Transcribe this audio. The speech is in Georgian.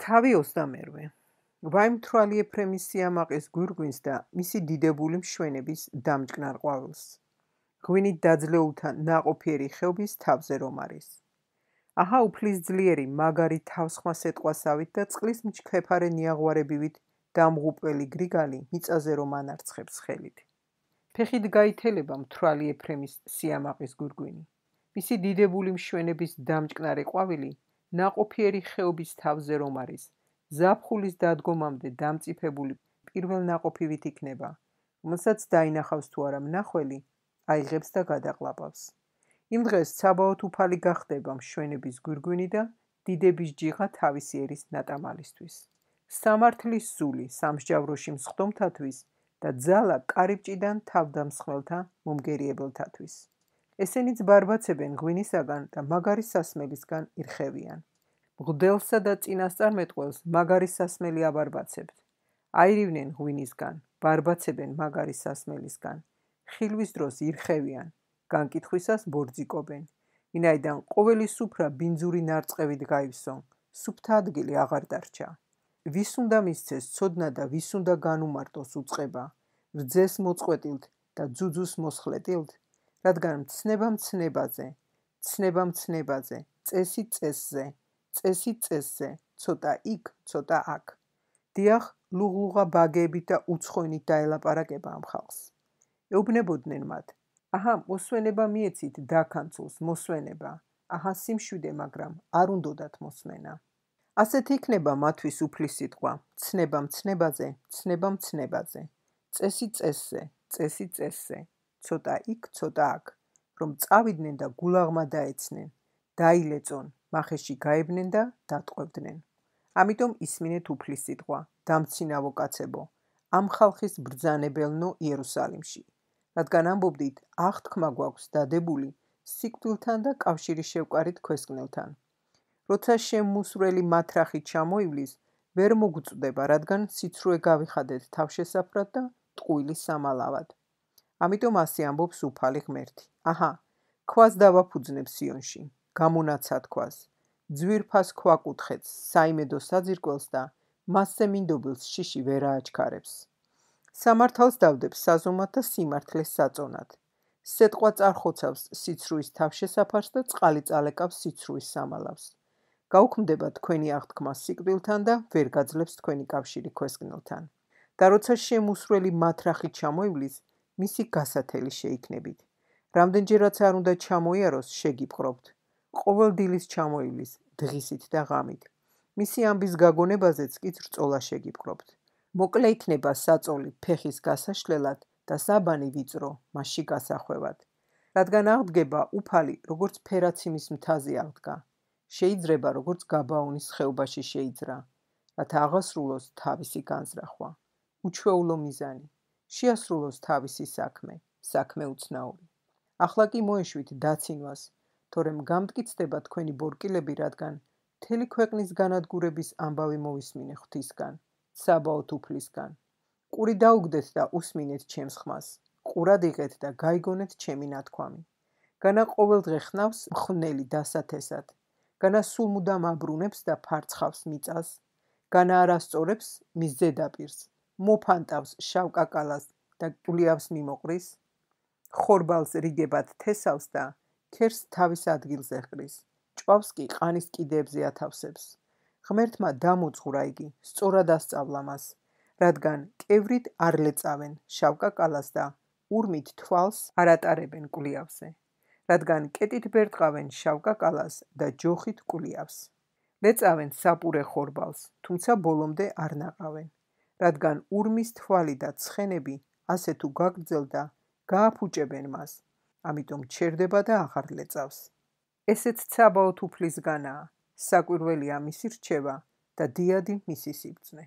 თავი 22. ვაიმთვრალი ეფრემის სიამაყის გვირგვინს და მისი დიდებული მშვენების დამჭკნარ ყვავილს. ღვინით დაძლეულთა ნაყოფიერი ხეობის თავზე რომ არის. აჰა უფლის ძლიერი მაგარი თავსხმა სეტყვასავით და წყლის მჩქეფარე ნიაღვარებივით დამღუპველი გრიგალი მიწაზე რომ ანარცხებს ხელით. ფეხით გაითელება მთვრალი ეფრემის სიამაყის გვირგვინი. მისი დიდებული მშვენების დამჭკნარი ყვავილი ნაყოფიერი ხეობის თავზე რომ არის, ზაფხულის დადგომამდე დამწიფებული პირველ ნაყოფივით იქნება, რომელსაც დაინახავს თუ არა მნახველი, აიღებს და გადაყლაპავს. იმ დღეს ცაბაოთ უფალი გახდება მშვენების გვირგვინი და დიდების ჯიღა თავისი ერის ნატამალისთვის. სამართლის სული სამსჯავროში მსხდომთათვის და ძალა კარიბჭიდან თავდამსხმელთა მომგერიებელთათვის. ესენიც ბარბაცებენ ღვინისაგან და მაგარი სასმელისგან ირხევიან. მღვდელსა და წინასწარმეტყველს მაგარი სასმელი აბარბაცებთ. აირივნენ ღვინისგან, ბარბაცებენ მაგარი სასმელისგან. ხილვის დროს ირხევიან, განკითხვისას ბორძიკობენ. ვინაიდან ყოველი სუფრა ბინძური ნარწყევით გაივსო, სუფთა ადგილი აღარ დარჩა. ვის უნდა მისცეს ცოდნა და ვის უნდა განუმარტოს უწყება, რძეს მოწყვეტილთ და ძუძუს მოსხლეტილთ, რადგან მცნება მცნებაზე, ცნება მცნებაზე, წესი წესზე, წესი წესზე, ცოტა იქ, ცოტა აქ. დიახ, ლუღლუღა ბაგეებით და უცხოინით დაელაპარაკება ამ ხალხს. ეუბნებოდნენ მათ, აჰა, მოსვენება მიეცით დაქანცულს, მოსვენება, აჰა სიმშვიდე, მაგრამ არ უნდოდათ მოსმენა. ასეთ იქნება მათთვის უფლის სიტყვა, ცნება მცნებაზე, ცნება მცნებაზე, წესი წესზე, წესი წესზე, ცოტა იქ, ცოტა აქ, რომ წავიდნენ და გულაღმა დაეცნენ, დაილეწონ, მახეში გაებნენ და დატყვევდნენ. ამიტომ ისმინეთ უფლის სიტყვა, დამცინავო კაცებო, ამ ხალხის ბრძანებელნო იერუსალიმში, რადგან ამბობდით, აღთქმა გვაქვს დადებული სიკვდილთან და კავშირი შევკარით ქვესკნელთან. როცა შემმუსვრელი მათრახი ჩამოივლის, ვერ მოგწდება, რადგან სიცრუე გავიხადეთ თავშესაფრად და ტყუილი სამალავად. ამიტომ ასე ამბობს უფალი ღმერთი. აჰა, ქვას დავაფუძნებ სიონში, გამონაცად ქვას, ძვირფას ქვაკუთხეთს, საიმედო საძირკველს და მასზე მინდობილს შიში ვერ ააჩქარებს. სამართალს დავდებ საზომად და სიმართლეს საწონად. სეტყვა წარხოცავს სიცრუის თავშესაფარს და წყალი წალეკავს სიცრუის სამალავს. გაუქმდება თქვენი აღთქმა სიკვდილთან და ვერ გაძლებს თქვენი კავშირი ქვესკნელთან. და როცა შემუსვრელი მათრახი ჩამოივლის, მისი გასათელი შეიქნებით. რამდენჯერაც არ უნდა ჩამოიაროს, შეგიპყრობთ. ყოველ დილის ჩამოივლის, დღისით და ღამით. მისი ამბის გაგონებაზეც კი რწოლა შეგიპყრობთ. მოკლე იქნება საწოლი ფეხის გასაშლელად და საბანი ვიწრო მასში გასახვევად. რადგან აღდგება უფალი, როგორც ფერაციმის მთაზე აღდგა. შეიძლება, როგორც გაბაონის ხეობაში შეიძრა, რათა აღასრულოს თავისი განზრახვა. უჩვეულო მიზანი. შეასრულოს თავისი საქმე, საქმე უცნაური. ახლა კი მოეშვით დაცინვას, თორემ გამტკიცდება თქვენი ბორკილები, რადგან მთელი ქვეყნის განადგურების ამბავი მოვისმინე ღვთისგან, ცაბაოთ უფლისგან. ყური დაუგდეთ და უსმინეთ ჩემს ხმას, ყურად იღეთ და გაიგონეთ ჩემი ნათქვამი. განა ყოველდღე ხნავს მხვნელი დასათესად, განა სულ მუდამ აბრუნებს და ფარცხავს მიწას, განა არასწორებს მის ზედაპირს, მოფანტავს შავ კაკალას და კულიავს მიმოყრის, ხორბალს რიგებად თესავს და ქერს თავის ადგილზე ჰყრის, ჭვავს კი ყანის კიდეებზე ათავსებს. ღმერთმა დამოძღვრა იგი, სწორად ასწავლა მას, რადგან კევრით არ ლეწავენ შავ კაკალას და ურმით თვალს არ ატარებენ კულიავზე, რადგან კეტით ბერტყავენ შავ კაკალას და ჯოხით კულიავს. ლეწავენ საპურე ხორბალს, თუმცა ბოლომდე არ ნაყავენ, რადგან ურმის თვალი და ცხენები ასე თუ გაგრძელდა, გააფუჭებენ მას, ამიტომ ჩერდება და აღარ ლეწავს. ესეც ცაბაოთ უფლისგანაა, საკვირველია მისი რჩევა და დიადი მისი სიბრძნე.